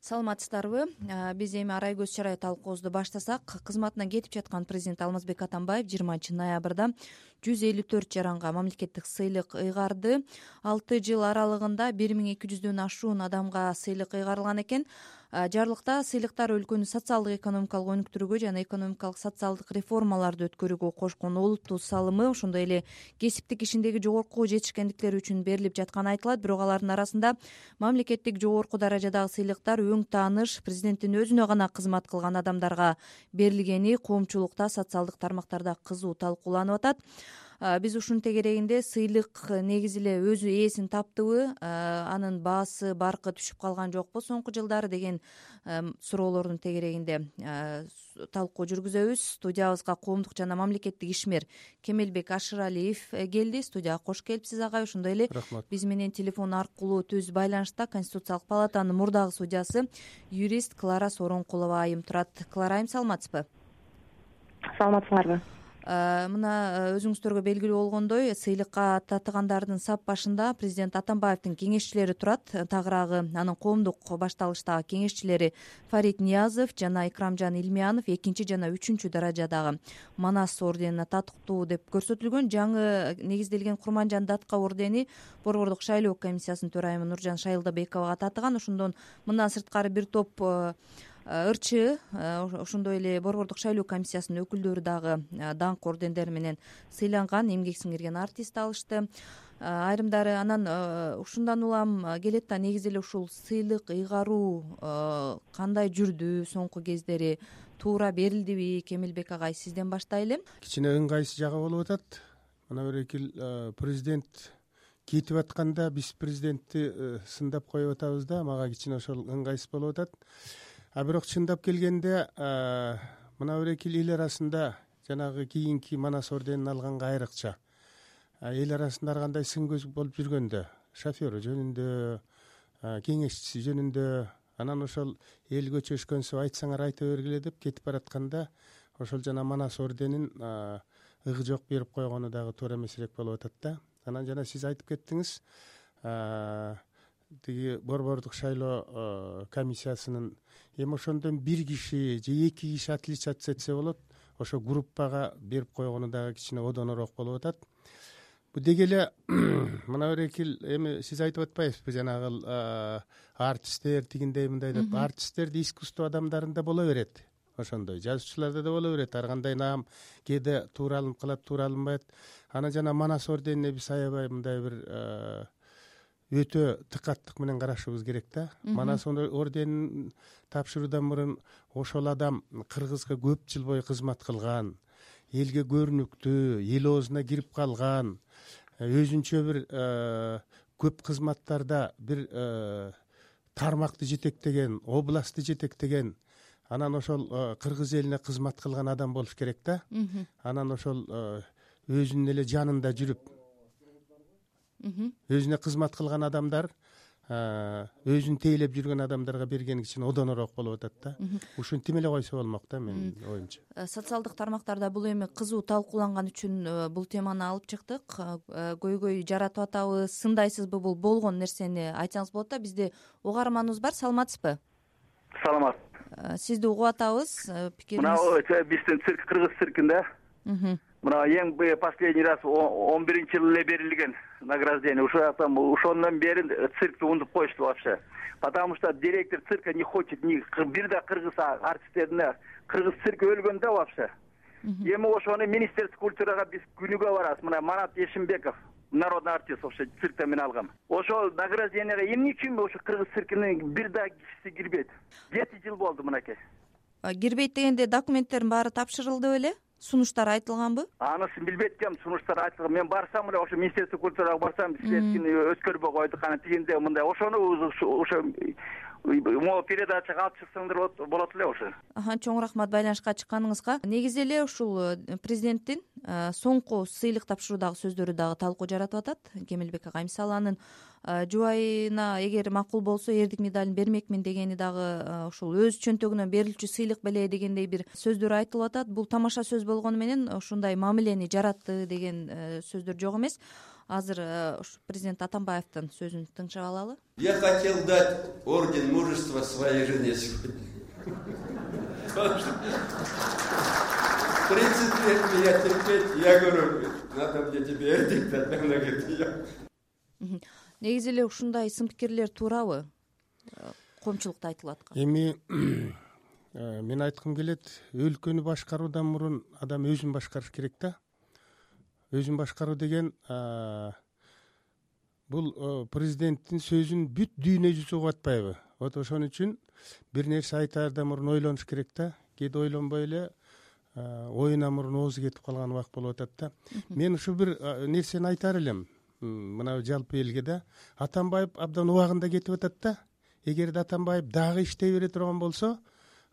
Саламатсыздарбы? Биз эми арай көз чарай талкуубузду баштасак, кызматынан кетип жаткан президент Алмазбек Атамбаев 20-ноябрда 154 жаранга мамлекеттик сыйлык ыйгарды. 6 жыл аралыгында 1200дөн ашуун адамга сыйлык ыйгарылган экен. Жарлыкта сыйлыктар өлкөнү социалдык экономикалык өнүктүрүүгө жана экономикалык социалдык реформаларды өткөрүүгө кошкон олуттуу салымы, ошондой эле кесиптик ишиндеги жогорку жетишкендиктери үчүн берилип жатканы айтылат. Бирок алардын арасында мамлекеттик жогорку даражадагы сыйлыктар өң тааныш президенттин өзүнө гана кызмат кылган адамдарга берилгени коомчулукта, социалдык тармактарда кызуу талкууланып атат. Биз ушунун тегерегинде сыйлык негизи эле өзү ээсин таптыбы, анын баасы, баркы түшүп калган жокпу соңку жылдары деген суроолордун тегерегинде талкуу жүргүзөбүз. Студиябызга коомдук жана мамлекеттик ишмер Кемелбек Ашыралиев келди. Студияга кош келипсиз агай. Ошондой эле биз менен телефон аркылуу түз байланышта Конституциялык палатанын мурдагы судьясы юрист Клара Сооронкулова айым турат. Клара айым, саламатсызбы? Саламатсыңарбы? Мына өзүңүздөргө белгилүү болгондой, сыйлыкка татыгандардын сап башында президент Атамбаевдин кеңешчилери турат. Тагыраагы анын коомдук башталыштагы кеңешчилери Фарид Ниязов жана Икрамжан Илмиянов 2 жана 3 даражадагы Манас орденине татыктуу деп көрсөтүлгөн. Жаңы негизделген Курманжан Датка ордени Борбордук шайлоо комиссиясынын төрайымы Нуржан Шайылдабековага татыган. Ошондон мындан сырткары бир топ ырчы, ошондой эле Борбордук шайлоо комиссиясынын өкүлдөрү дагы даңк ордендери менен сыйланган, эмгек сиңирген артист алышты. Айрымдары анан ушундан улам келет да, негизи эле ушул сыйлык ыйгаруу кандай жүрдү соңку кездери, туура берилдиби? Кемелбек агай, сизден баштайлы. Кичине ыңгайсыз жагы болуп атат. Мына бир президент кетип атканда биз президентти сындап коюп атабыз да, мага кичине ошол ыңгайсыз болуп атат. Бирок чындап келгенде мына бир эл арасында жанагы кийинки Манас орденин алганга айрыкча эл арасында ар кандай сын көз болуп жүргөндө, шоферу жөнүндө, кеңешчиси жөнүндө, анан ошол эл көчөшкөнсүп айтсаңар айта бергиле деп кетип баратканда ошол жана Манас орденин ыгы жок берип койгону дагы туура эмес элек болуп атат да. Анан жана сиз айтып кеттиңиз, тиги Борбордук шайлоо комиссиясынын эми ошондон бир киши же 2 киши отличаться этсе болот, ошо группага берип койгону дагы кичине одонораак болуп атат. Бу деги эле мына бир эми сиз айтып атпайсызбы, жанагы артисттер тигиндей мындай деп. Артисттерди искусство адамдарында боло берет, ошондой жазуучуларда да боло берет. Ар кандай наам кээде туура алынып калат, туура алынбайт. Анан жана Манас орденине биз аябай мындай бир өтө тыкаттык менен карашыбыз керек да. Манас орденин тапшыруудан мурун ошол адам Кыргызга көп жыл бою кызмат кылган, элге көрүнүктүү, эл оозуна кирип калган, өзүнчө бир көп кызматтарда бир тармакты жетектеген, областты жетектеген, анан ошол кыргыз элине кызмат кылган адам болуш керек да. Анан ошол өзүнүн эле жанында жүрүп өзүнө кызмат кылган адамдар өзүн тейлеп жүргөн адамдарга берген кичине одонораак болуп атат да. Ушинтип эле койсо болмок да, менин оюмча. Социалдык тармактарда бул эми кызуу талкууланган үчүн бул теманы алып чыктык. Көйгөй жаратып атабыз, сындайсызбы? Бул болгон нерсени айтсаңыз болот да. Бизде угарманыбыз бар. Саламатсызбы? Саламат. Сизди угуп атабыз. Мына биздин цирк, кыргыз циркинде мына эң последний раз 11-жылы эле берилген награждение. Ошондон бери циркти унутуп коюшту вообще. Потому что директор цирка не хочет бир да кыргыз артисттерине. Кыргыз цирк өлгөн да вообще. Эми ошону министерство культурага биз күнүгө барабыз. Мына Манат Ешимбеков, народный артист, ошо циркте мен алгам. Ошол награждениеге эмне үчүн ошо кыргыз циркинин бир да кишиси кирбейт? 7 жыл болду мынакей. Кирбейт дегенде документтердин баары тапшырылды беле? Сунуштар айтылганбы? Анысын билбейт экенм, сунуштар айтылган. Мен барсам эле ошо министерство культурага барсам, силердикини өткөрбөй койдук, ана тигинде мындай. Ошону ошо могу передачага алып чыксаңдар болот эле ошо. Чоң рахмат байланышка чыкканыңызга. Негизи эле ушул президенттин соңку сыйлык тапшыруудагы сөздөрү дагы талкуу жаратып атат. Кемелбек агай, мисалы анын жубайына эгер макул болсо эрдик медалын бермекмин дегени дагы ушул өз чөнтөгүнөн берилчү сыйлык беле дегендей бир сөздөр айтылып атат. Бул тамаша сөз болгону менен ушундай мамилени жаратты деген сөздөр жок эмес. азыр президент Атамбаевдин сөзүн тыңшап алалы. Я хотел дать орден мужества своей жене сегодня. В 30 лет меня терпеть, я говорю, надо мне тебе орден дать. Она говорит, негизи эле ушундай сын пикирлер туурабы коомчулукта айтылып аткан? Эми мен айткым келет, өлкөнү башкаруудан мурун адам өзүн башкарыш керек да. Өзүн башкаруу деген бул президенттин сөзүн бүт дүйнө жүзү угуп атпайбы? Вот ошон үчүн бир нерсе айтаардан мурун ойлонуш керек да. Кээде ойлонбой эле оюна мурун оозу кетип калган убак болуп атат да. Мен ушул бир нерсени айтаар элем. Мына жалпы элге да. Атамбаев абдан убагында кетип атат да. Эгерде Атамбаев дагы иштей бере турган болсо,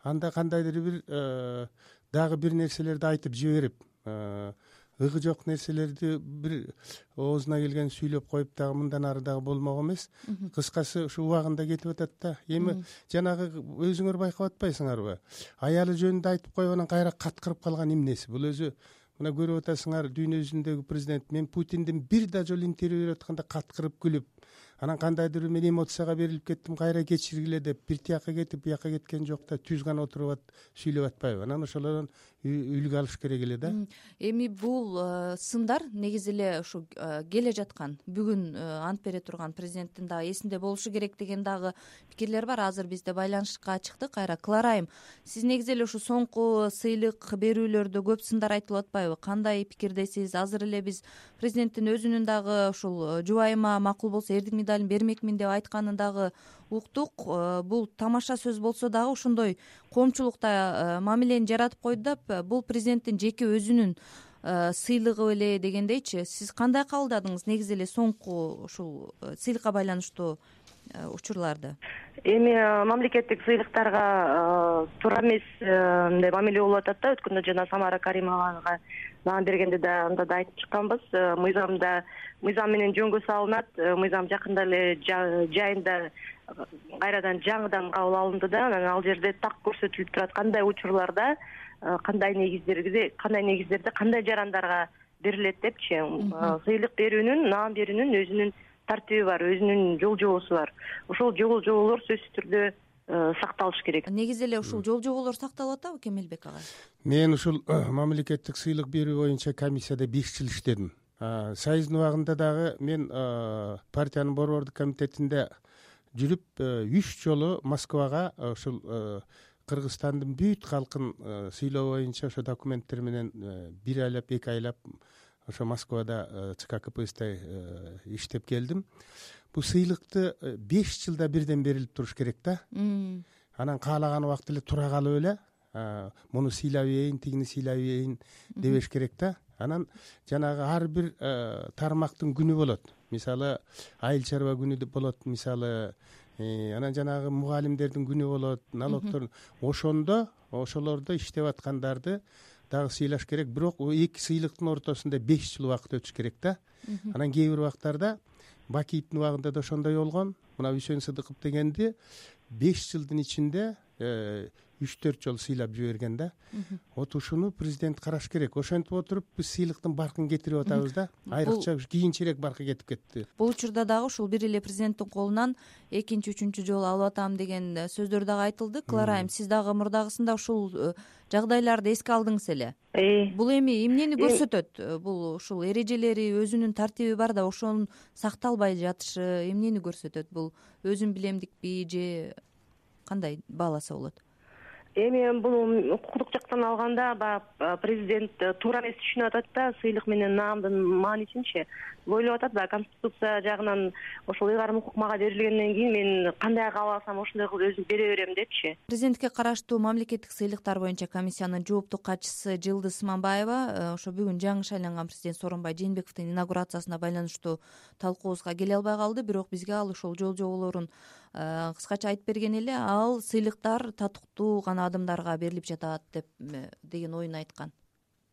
анда кандайдыр бир дагы бир нерселерди айтып жиберип, ыгы жок нерселерди бир оозуна келген сүйлөп коюп дагы мындан ары дагы болмок эмес. Кыскасы ушу убагында кетип атат да. Эми жанагы өзүңөр байкап атпайсыңарбы? Аялы жөнүндө айтып коюп анан кайра каткырып калган эмнеси? Бул өзү мына көрүп атасыңар, дүйнө жүзүндөгү президент мен Путиндин бир да жолу интервью берип атканда каткырып күлүп, анан кандайдыр мен эмоцияга берилип кеттим, кайра кечиргиле деп бир тияка кетип бияка кеткен жок да, түз гана отуруп сүйлөп атпайбы? Анан ошолордон үлгү алыш керек эле да. Эми бул сындар негизи эле ушу келе жаткан бүгүн ант бере турган президенттин дагы эсинде болушу керек деген дагы пикирлер бар. Азыр бизде байланышка чыкты кайра. Кларайым, сиз негизи эле ушу соңку сыйлык берүүлөрдө көп сындар айтылып атпайбы? Кандай пикирдесиз? Азыр эле биз президенттин өзүнүн дагы ушул жубайыма макул болсо эрдик медалын бермекмин деп айтканын дагы уктук. Бул тамаша сөз болсо дагы ошондой коомчулукта мамилени жаратып койду да, бул президенттин жеке өзүнүн сыйлыгы беле дегендейчи. Сиз кандай кабылдадыңыз негизи эле соңку ушул сыйлыкка байланыштуу учурларды? Эми мамлекеттик сыйлыктарга туура эмес мындай мамиле болуп атат да. Өткөндө жана Самара Каримовага нан бергенде да анда да айтып чыкканбыз. Мыйзам менен жөнгө салынат. Мыйзам жакында эле жайында кайрадан жаңыдан кабыл алынды да, анан ал жерде так көрсөтүлүп турат кандай учурларда кандай негиздерде кандай жарандарга берилет депчи. Сыйлык берүүнүн, наам берүүнүн өзүнүн тартиби бар, өзүнүн жол жобосу бар. Ошол жол жоболор сөзсүз түрдө сакталыш керек. Негизи эле ушул жол жоболор сакталып атабы, Кемелбек агай? Мен ушул мамлекеттик сыйлык берүү боюнча комиссияда 5 жыл иштедим. Союздун убагында дагы мен партиянын борбордук комитетинде жүрүп 3 жолу Москвага ушул Кыргызстандын бүт калкын сыйлоо боюнча ошо документтер менен 1 айлап 2 айлап ошо Москвада ЦК КПСС иштеп келдим. Бул сыйлыкты 5 жылда бирден берилип туруш керек да. Анан каалаган убакта эле тура калып эле муну сыйлап ийин, тигини сыйлап ийин дебеш керек да. Анан жанагы ар бир тармактын күнү болот. Мисалы айыл чарба күнү деп болот, мисалы анан жанагы мугалимдердин күнү болот, налогтордун. Ошондо ошолордо иштеп аткандарды дагы сыйлаш керек. Бирок эки сыйлыктын ортосунда 5 жыл убакыт өтүш керек да. Анан кээ бир убактарда Бакиевдин убагында да ошондой болгон. Мына Үсөн Сыдыков дегенди 5 жылдын ичинде 3-4 жолу сыйлап жиберген да. Вот ушуну президент караш керек. Ошентип отуруп биз сыйлыктын баркын кетирип атабыз да. Айрыкча кийинчерээк баркы кетип кетти. Бул учурда дагы ушул бир эле президенттин колунан экинчи, үчүнчү жолу алып атам деген сөздөр дагы айтылды. Кларайым, сиз дагы мурдагысында ушул жагдайларды эске алдыңыз эле. Бул эми эмнени көрсөтөт? Бул ушул эрежелери, өзүнүн тартиби бар да, ошонун сакталбай жатышы эмнени көрсөтөт? Бул өзүн билемдикпи же кандай бааласа болот? Эми бул укуктук жактан алганда президент туура эмес түшүнүп атат да, сыйлык менен наамдын маанисинчи ойлоп атат да. Конституция жагынан ошол ыйгарым укук мага берилгенден кийин мен кандай кааласам ошондой кылып өзүм бере берем депчи. Президентке караштуу мамлекеттик сыйлыктар боюнча комиссиянын жооптук катчысы Жылдыз Сманбаева ошо бүгүн жаңы шайланган президент Сооронбай Жээнбековдун инаугурациясына байланыштуу талкуубузга келе албай калды. Бирок бизге ал ошол жол жоболорун кыскача айтып берген эле. Ал сыйлыктар татыктуу гана адамдарга берилип жатат деген оюн айткан.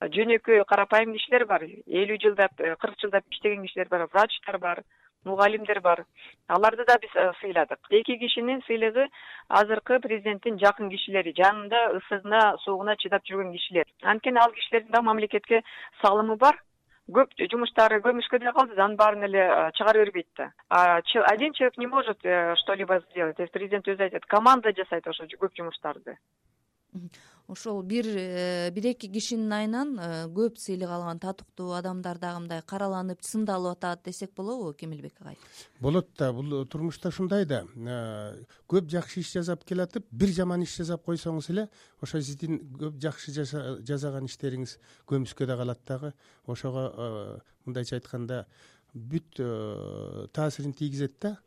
Жөнөкөй карапайым кишилер бар, 50 жылдап, 40 жылдап иштеген кишилер бар, врачтар бар, мугалимдер бар. Аларды да биз сыйладык. Эки кишинин сыйлыгы азыркы президенттин жакын кишилери, жанында ысыгына, суугуна чыдап жүргөн кишилер. Анткени ал кишилердин да мамлекетке салымы бар. көп жумуштары көмүшкө деле калды да, анын баарын эле чыгара бербейт да. Один человек не может что-либо сделать. То есть президент өзү айтат, команда жасайт ошо көп жумуштарды. Ошол бир эки кишинин айынан көп сыйлык алган татыктуу адамдар дагы мындай караланып сындалып атат десек болобу, Кемелбек агай? Болот да, бул турмушта ушундай да. Көп жакшы иш жасап келатып, бир жаман иш жасап койсоңуз эле, ошо сиздин көп жакшы жасаган иштериңиз көмүскө да калат дагы. Ошого мындайча айтканда бүт таасирин тийгизет да.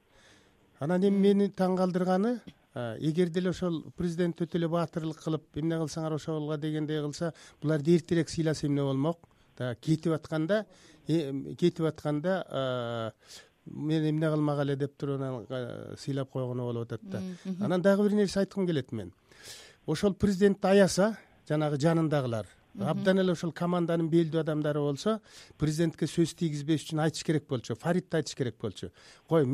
Анан эми мени таң калтырганы, эгер деле ошол президент өтө эле баатырлык кылып, эмне кылсаңар ошолго дегендей кылса, буларды эртерээк сыйласа эмне болмок? Кетип атканда мен эмне кылмак эле деп туруп сыйлап койгону болуп атат да. Анан дагы бир нерсе айткым келет мен. Ошол президентти аяса, жанагы жанындагылар, абдан эле ошол команданын белдүү адамдары болсо, президентке сөз тийгизбеш үчүн айтыш керек болчу, Фаридти айтыш керек болчу. Кой,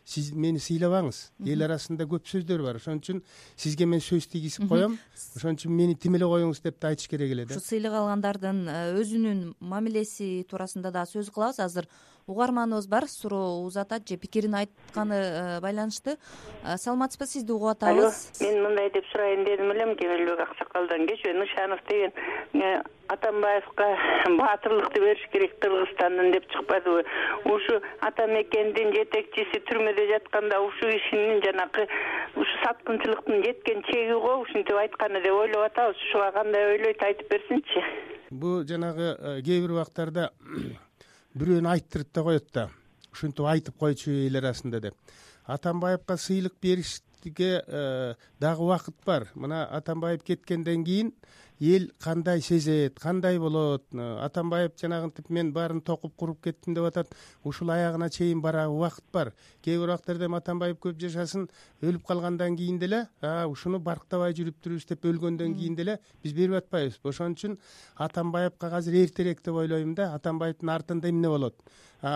сиз мени сыйлабаңыз. Эл арасында көп сөздөр бар. Ошон үчүн сизге мен сөз тийгизип коем. Ошон үчүн мени тим эле коюңуз деп да айтыш керек эле да. Ушу сыйлык алгандардын өзүнүн мамилеси туурасында да сөз кылабыз. Азыр угарманыбыз бар, суроо узатат же пикирин айтканы байланыштуу. Саламатсызбы, сизди угуп атабыз. Мен мындай деп сурайын дедим элем, Кемелбек аксакалдан. Кечээ Нышанов деген Атамбаевка баатырлыкты бериш керек Кыргызстандан деп чыкпадыбы? Ушу ата мекендин жетекчиси түрмөдө жатканда ушу кишинин жанакы ушу саткынчылыктын жеткен чеги го ушинтип айтканы деп ойлоп атабыз. Ушуга кандай ойлойт, айтып берсинчи. Бул жанагы кээ бир убактарда бирөөнү айттырып да коет да. Ушинтип айтып койчу эл арасында деп. Атамбаевка сыйлык беришке дагы убакыт бар. Мына Атамбаев кеткенден кийин эл кандай сезет, кандай болот? Атамбаев жанагынтип мен баарын токуп куруп кеттим деп атат. Ушул аягына чейин барабы убакыт бар. Кээ бир убактарда Атамбаев көп жашасын, өлүп калгандан кийин деле, ушуну барктабай жүрүп турубуз деп өлгөндөн кийин деле биз берип атпайбыз. Ошон үчүн Атамбаевка азыр эртерээк деп ойлойм да. Атамбаевдин артында эмне болот?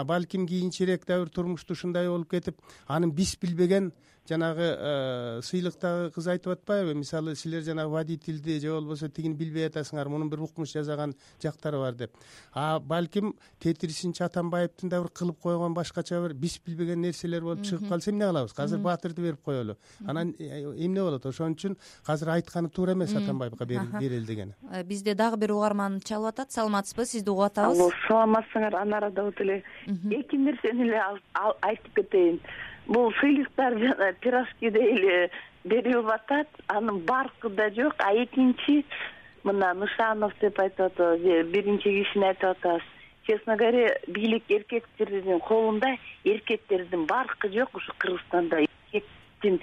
Балким кийинчерээк дагы бир турмушта ушундай болуп кетип, анын биз билбеген жанагы сыйлыктагы кыз айтып атпайбы? Мисалы, силер жанагы водительди же болбосо тигини билбей атасыңар, мунун бир укмуш жасаган жактары бар деп. Балким тетирисинчи Атамбаевдин да бир кылып койгон башкача бир биз билбеген нерселер болуп чыгып калса эмне кылабыз? Азыр баатырды берип коелу. Анан эмне болот? Ошон үчүн азыр айтканы туура эмес Атамбаевка берели деген. Бизде дагы бир угарман чалып атат. Саламатсызбы, сизди угуп атабыз. Алло, саламатсыңар. Анарада өтө эле эки нерсени эле айтып кетейин. Бул сыйлыктар жана пирожкидей эле берилип атат, анын баркы да жок. Экинчи, мына Нышанов деп айтып атабыз, биринчи кишини айтып атабыз. Честно говоря, бийлик эркектердин колунда, эркектердин баркы жок ушу Кыргызстанда. Эркектин,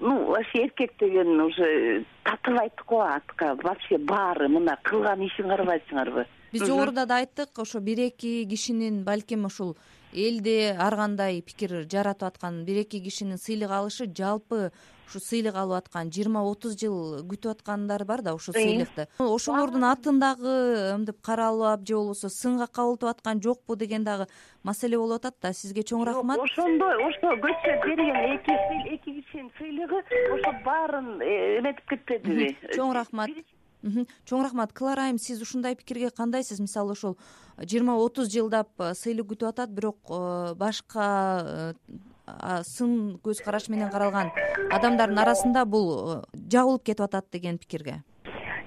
вообще эркек деген уже татыбайт го атка, вообще баары мына кылган ишин карабайсыңарбы? Биз жогоруда да айттык, ошо бир эки кишинин балким ушул элде ар кандай пикир жаратып аткан бир эки кишинин сыйлык алышы, жалпы ушу сыйлык алып аткан 20-30 жыл күтүп аткандар бар да ушул сыйлыкты. Ошолордун атындагы мынтип каралып же болбосо сынга кабылтып аткан жокпу деген дагы маселе болуп атат да. Сизге чоң рахмат. Ошондой, ошо көчөп берген эки кишинин сыйлыгы ошо баарын эметип кетпедиби? Чоң рахмат. Чоң рахмат. Клара айым, сиз ушундай пикирге кандайсыз? Мисалы, ошол 20-30 жылдап сыйлык күтүп атат, бирок башка сын көз караш менен каралган адамдардын арасында бул жабылып кетип атат деген пикирге.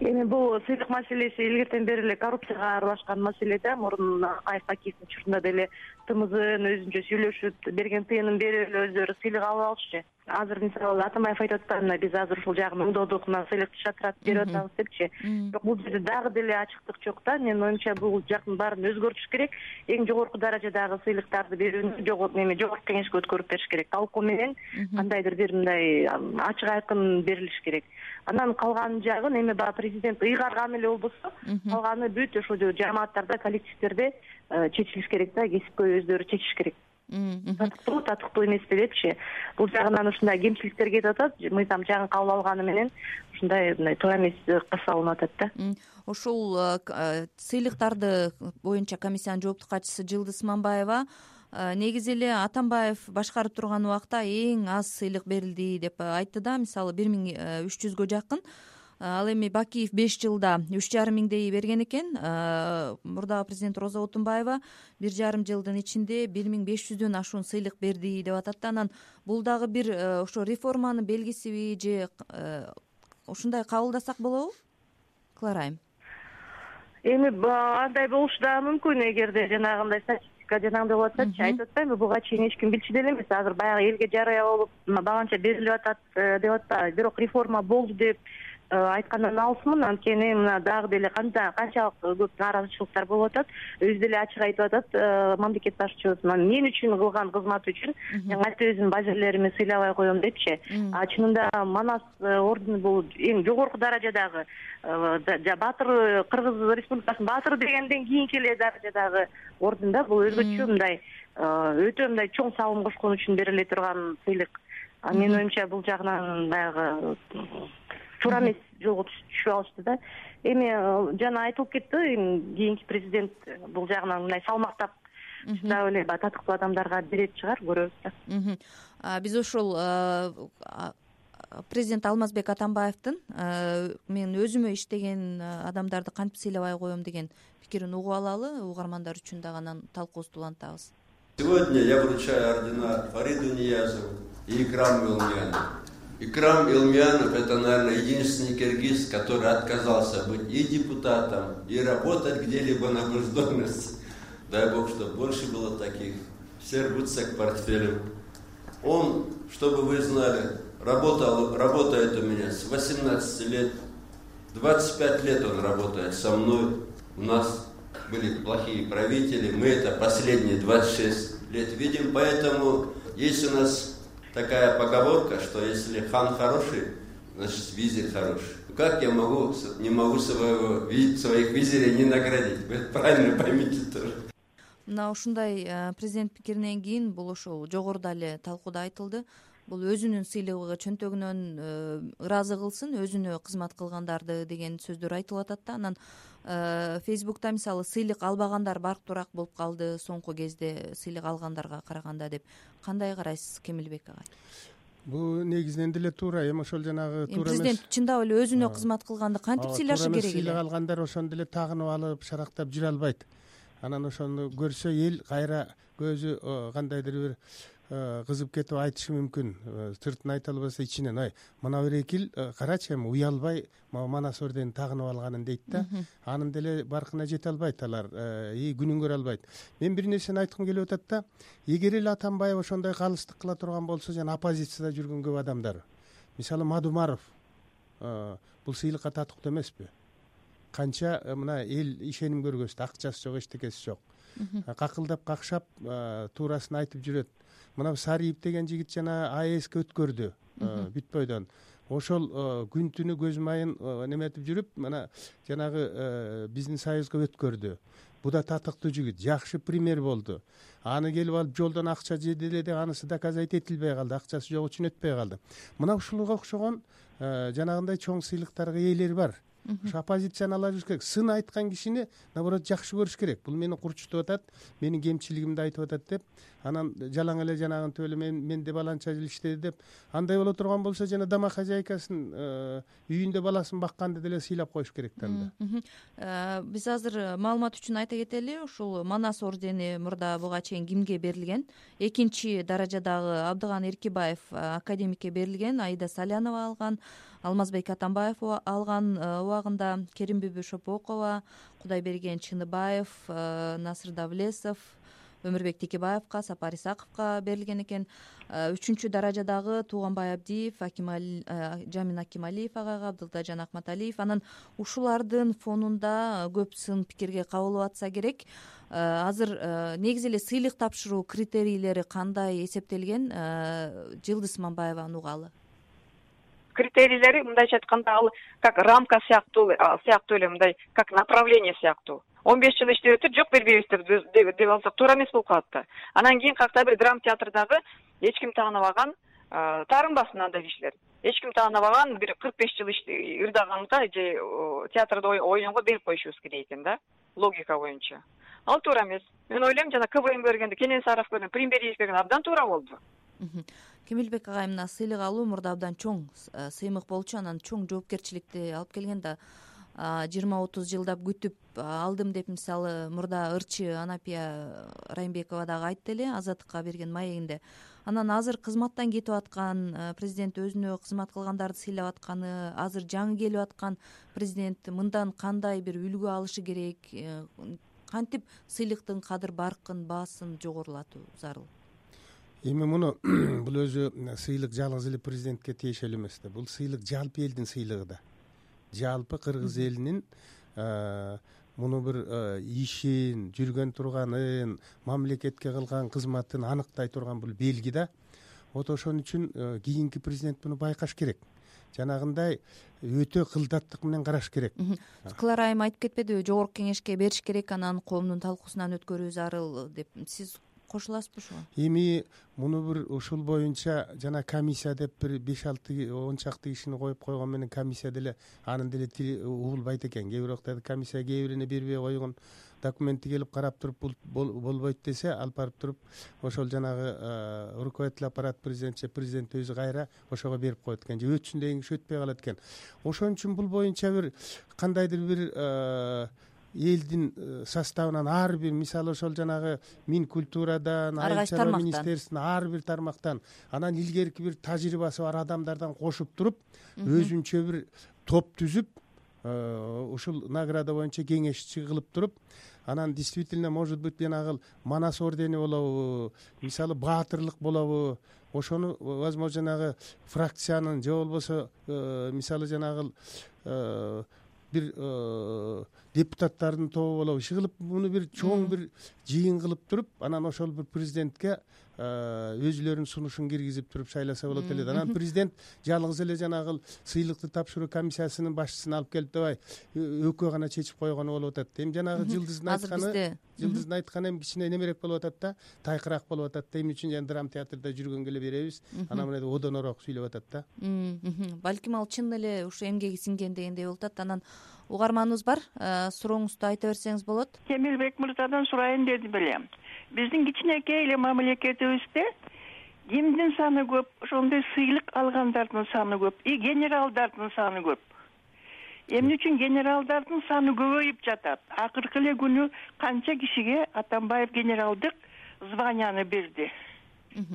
Эми бул сыйлык маселеси илгертен бери эле коррупцияга аралашкан маселе да. Мурун Акаев Акиевдин учурунда деле ТМЗнын өзүнчө сүйлөшүп берген тыйынын берип эле өздөрү сыйлык алып алышчы. Азыр мисалы Атамбаев айтып атпайбы, биз азыр ушул жагын угдудук, мына сыйлыкты шатыратып берип атабыз депчи. Бирок бул жерде дагы деле ачыктык жок да. Менин оюмча бул жактын баарын өзгөртүш керек. Эң жогорку даражадагы сыйлыктарды берүүнү жогорку кеңешке өткөрүп бериш керек. Талкуу менен кандайдыр бир мындай ачык айкын берилиш керек. Анан калган жагын эми баягы президент ыйгарган эле болбосо, калганы бүт ошо жамааттарда, коллективдерде чечилиш керек да, кесипкөй өздөрү чечиш керек. Татыктуу эмеспи депчи. Бул жагынан ушундай кемчиликтер кетип атат. Мыйзам жагын кабыл алганы менен ушундай туура эмес касалынып атат да. Ошол сыйлыктарды боюнча комиссиянын жооптуу катчысы Жылдыз Мамбаева негизи эле Атамбаев башкарып турган убакта эң аз сыйлык берилди деп айтты да. Мисалы 1300гө жакын. Ал эми Бакиев 5 жылда 3,5 миңдей берген экен. Мурдагы президент Роза Отунбаева 1,5 жылдын ичинде 1500дөн ашуун сыйлык берди деп атат да. Анан бул дагы бир ошо реформанын белгисиби же ушундай кабылдасак болобу? Клара айым. Эми андай болушу да мүмкүн, эгерде жанагындай статистика жанагындай болуп атсачы, айтып атпаймынбы, буга чейин эч ким билчү деле эмес. Азыр баягы элге жарыя болуп баганча берилип атат деп атпайбы. Бирок реформа болду деп айткандан алысмын. Анткени мына дагы деле канчалык көп нааразычылыктар болуп атат. Өзү деле ачык айтып атат мамлекет башчыбыз, мен үчүн кылган кызматы үчүн кантип өзүмдүн базерлеримди сыйлабай коем депчи. Чынында Манас ордени бул эң жогорку даражадагы Батыр, Кыргыз Республикасынын Батыр дегенден кийинки эле даражадагы орден да. Бул өзгөчө мындай өтө мындай чоң салым кошкон үчүн бериле турган сыйлык. Менин оюмча бул жагынан баягы туура эмес жолго түшүп алышты да. Эми жана айтылып кетти, кийинки президент бул жагынан мындай салмактап чындап эле татыктуу адамдарга берет чыгар, көрөбүз да. Биз ошол президент Алмазбек Атамбаевдин мен өзүмө иштеген адамдарды кантип сыйлабай коем деген пикирин угуп алалы, угармандар үчүн дагы анан талкуубузду улантабыз. Сегодня я вручаю ордена Фариду Ниязову и Икраму Илмянову. Икрам Илмянов — это, наверное, единственный киргиз, который отказался быть и депутатом, и работать где-либо на госдолжности. Дай Бог, чтобы больше было таких. Все рвутся к портфелям. Он, чтобы вы знали, работает у меня с 18 лет. 25 лет он работает со мной. У нас были плохие правители. Мы это последние 26 лет видим. Поэтому есть у нас такая поговорка, что если хан хороший, значит визирь хороший. Как я не могу своих визирей не наградить? Вы правильно поймите тоже. Мына ушундай президент пикиринен кийин бул ошол жогоруда эле талкууда айтылды. Бул өзүнүн сыйлыгы чөнтөгүнөн ыраазы кылсын, өзүнө кызмат кылгандарды деген сөздөр айтылып атат да. Анан Фейсбукта мисалы сыйлык албагандар барктуураак болуп калды соңку кезде сыйлык алгандарга караганда деп. Кандай карайсыз Кемилбек агай? Бул негизинен деле туура. Эми ошол жанагы туура эмес. Президент чындап эле өзүнө кызмат кылганды кантип сыйлашы керек эле? Сыйлык алгандар ошондо эле тагынып алып, шарактап жүрө албайт. Анан ошону көрсө эл кайра көзү кандайдыр бир кызып кетип айтышы мүмкүн. Сыртын айта албаса ичинен ай мына бир экил карачы эми уялбай Манас орденин тагынып алганын дейт да. Анын деле баркына жете албайт алар, күнүн көрө албайт. Мен бир нерсени айткым келип атат да. Эгер эле Атамбаев ошондой калыстык кыла турган болсо, жана оппозицияда жүргөн көп адамдар, мисалы Мадумаров, бул сыйлыкка татыктуу эмеспи? Канча мына эл ишеним көргөздү, акчасы жок, эчтекеси жок. Какылдап какшап туурасын айтып жүрөт. Мына Сариев деген жигит жана АЭСке өткөрдү бүт бойдон. Ошол күн түнү көз майын неметип жүрүп, мына жанагы биздин союзга өткөрдү. Бу да татыктуу жигит, жакшы пример болду. Аны келип алып жолдон акча жеди эле деп анысы доказать этилбей калды, акчасы жок үчүн өтпөй калды. Мына ушулга окшогон жанагындай чоң сыйлыктарга ээлер бар. Ошо оппозицияны ала жүрүш керек. Сын айткан кишини наоборот жакшы көрүш керек. Бул мени курчутуп атат, менин кемчилигимди айтып атат деп, анан жалаң эле жанагынтип эле менде баланча жыл иштеди деп, андай боло турган болсо жана домохозяйкасын үйүндө баласын бакканды деле сыйлап коюш керек да. Биз азыр маалымат үчүн айта кетели, ушул Манас ордени мурда буга чейин кимге берилген? Экинчи даражадагы Абдыган Эркибаев академикке берилген, Аида Салянова алган, Алмазбек Атамбаев алган убагында, Керимбүбү Шопокова, Кудайберген Чыныбаев, Насыр Давлесов, Өмүрбек Текебаевка, Сапар Исаковго берилген экен. Үчүнчү даражадагы Тууганбай Абдиев, Жамин Акималиев агайга, Абдылдажан Акматалиев. Анан ушулардын фонунда көп сын пикирге кабылып атса керек. Азыр негизи эле сыйлык тапшыруу критерийлери кандай эсептелген? Жылдыз Мамбаеваны угалы. Критерийлери мындайча айтканда ал как рамка сыяктуу эле мындай как направление сыяктуу. 15 жыл иштеп өтүп, жок бербейбиздер деп алсак туура эмес болуп калат да. Анан кийин кайта бир драма театрдагы эч ким тааныбаган таарынбасын андай кишилер. Эч ким тааныбаган бир 45 жыл ырдаганга же театрда ойногго берип коюшубуз керек экен да, логика боюнча. Ал туура эмес. Мен ойлойм, жана КВМ бергенде, Кенен Саров берген, Примбериев берген абдан туура болду. Кемелбек агай, мына сыйлык алуу мурда абдан чоң сыймык болчу, анан чоң жоопкерчиликти алып келген да. 20-30 жылдап күтүп алдым деп мисалы мурда ырчы Анапия Райымбекова дагы айтты эле Азаттыкка берген маегинде. Анан азыр кызматтан кетип аткан президент, өзүнө кызмат кылгандарды сыйлап атканы, азыр жаңы келип аткан президент мындан кандай бир үлгү алышы керек, кантип сыйлыктын кадыр баркын, баасын жогорулатуу зарыл? Эми муну бул өзү сыйлык жалгыз эле президентке тиешелүү эмес да. Бул сыйлык жалпы элдин сыйлыгы да. Жалпы кыргыз элинин муну бир ишин, жүргөн турганын, мамлекетке кылган кызматын аныктай турган бул белги да. Вот ошон үчүн кийинки президент муну байкаш керек. Жанагындай өтө кылдаттык менен караш керек. Клара айым айтып кетпедиби, жогорку кеңешке бериш керек, анан коомдун талкуусунан өткөрүү зарыл деп. Сиз кошуласызбы ошого? Эми муну бир ушул боюнча жана комиссия деп бир 5-6 чакты кишини коюп койгон менен комиссия деле анын деле тили угулбайт экен. Кээ бир убакта комиссия кээ бирине бербей койгон документти келип карап туруп болбойт десе, алып барып туруп ошол жанагы руководитель аппарат президент өзү кайра ошого берип коет экен, же өтсүн деген киши өтпөй калат экен. Ошон үчүн бул боюнча бир кандайдыр бир элдин составынан ар бир, мисалы ошол жанагы Минкультурадан, Айыл чарба министерствосунан ар бир тармактан, анан илгерки бир тажрыйбасы бар адамдардан кошуп туруп, өзүнчө бир топ түзүп, ушул награда боюнча кеңешчи кылып туруп, анан действительно может быть жанагы Манас ордени болобу, мисалы баатырлык болобу, ошону возможно жанагы фракциянын же болбосо мисалы жанагы бир депутаттардын тобу болобу, иши кылып муну бир чоң бир жыйын кылып туруп, анан ошол бир президентке өзүлөрүнүн сунушун киргизип туруп шайласа болот эле. Анан президент жалгыз эле жанагы сыйлыкты тапшыруу комиссиясынын башчысын алып келип давай экөө гана чечип койгону болуп атат. Эми жанагы Жылдыздын айтканы эми кичине немерээк болуп атат да, тайкыраак болуп атат да. Эмне үчүн жана драма театрда жүргөнгө эле беребиз, анан мына одонороок сүйлөп атат да. Балким ал чын эле ушу эмгеги сиңген дегендей болуп атат. Анан угарманыбыз бар, сурооңузду айта берсеңиз болот. Кемелбек мырзадан сурайын дедим эле. Биздин кичинекей эле мамлекетибизде кимдин саны көп, ошондой сыйлык алгандардын саны көп, генералдардын саны көп. Эмне үчүн генералдардын саны көбөйүп жатат? Акыркы эле күнү канча кишиге Атамбаев генералдык званияны берди.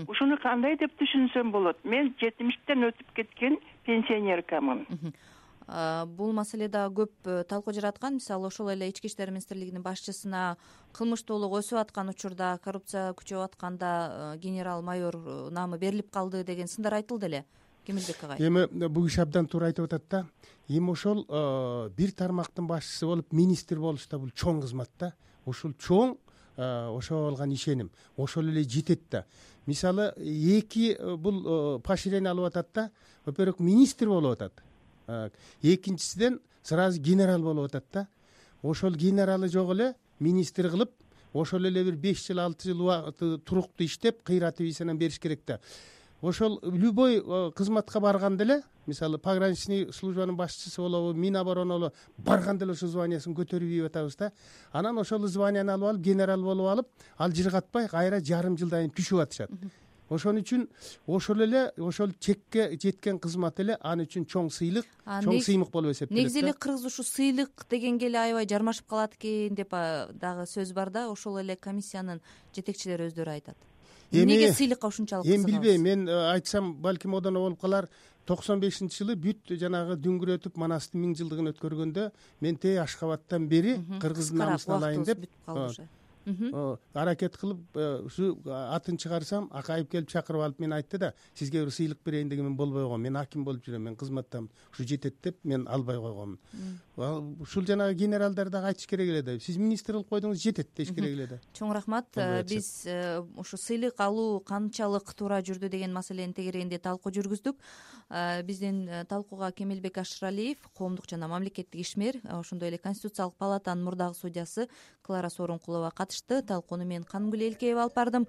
Ушуну кандай деп түшүнсөм болот? Мен 70тен өтүп кеткен пенсионеркамын. Бул маселе да көп талкуу жараткан. Мисалы ошол эле Ички иштер министрлигинин башчысына кылмыштуулук өсүп аткан учурда, коррупция күчөп атканда генерал майор наамы берилип калды деген сындар айтылды эле. Кемелбек агай. Эми бул киши абдан туура айтып атат да. Эми ошол бир тармактын башчысы болуп министр болуш да бул чоң кызмат да. Ушул чоң ошого болгон ишеним ошол эле жетет да. Мисалы эки бул поощрение алып атат да. Во-первых, министр болуп атат. Экинчисиден сразу генерал болуп атат да. Ошол генералы жок эле министр кылып, ошол эле бир 5 жыл 6 жыл туруктуу иштеп, кыйраты визадан бериш керек да. Ошол любой кызматка барганда эле, мисалы пограничный службанын башчысы болобу, Минобороны болобу, барганда эле ошол званиясын көтөрүп ийип атабыз да. Анан ошол званияны алып, генерал болуп алып, ал жыргатпай кайра жарым жылдан кийин түшүп атышат. Ошон үчүн ошол эле ошол чекке жеткен кызмат эле аны үчүн чоң сыйлык, чоң сыймык болуп эсептелет. Негизи эле кыргыз ушу сыйлык дегенге эле аябай жармашып калат экен деп дагы сөз бар да. Ошол эле комиссиянын жетекчилери өздөрү айтат. Эмнеге сыйлыкка ушунчалык кызыгабыз? Эми билбейм, мен айтсам балким одоно болуп калар. 95-жылы бүт жанагы дүңгүрөтүп Манастын 1000 жылдыгын өткөргөндө мен тээ Ашкабадтан бери кыргыздын намысын алайын деп аракет кылып ушу атын чыгарсам, Акаев келип чакырып алып мени айтты да, сизге бир сыйлык берейин деген, мен болбой койгом, мен аким болуп жүрөм, мен кызматтан ушу жетет деп мен албай койгом. Ушул жанагы генералдар дагы айтыш керек эле да, сиз министр кылып койдуңуз, жетет деш керек эле да. Чоң рахмат. Биз ушу сыйлык алуу канчалык туура жүрдү деген маселенин тегерегинде талкуу жүргүздүк. Биздин талкууга Кемелбек Ашыралиев, коомдук жана мамлекеттик ишмер, ошондой эле Конституциялык палатанын мурдагы судьясы Клара Сооронкулова катышты. Талкууну мен Канымгүл Элкеева алып бардым.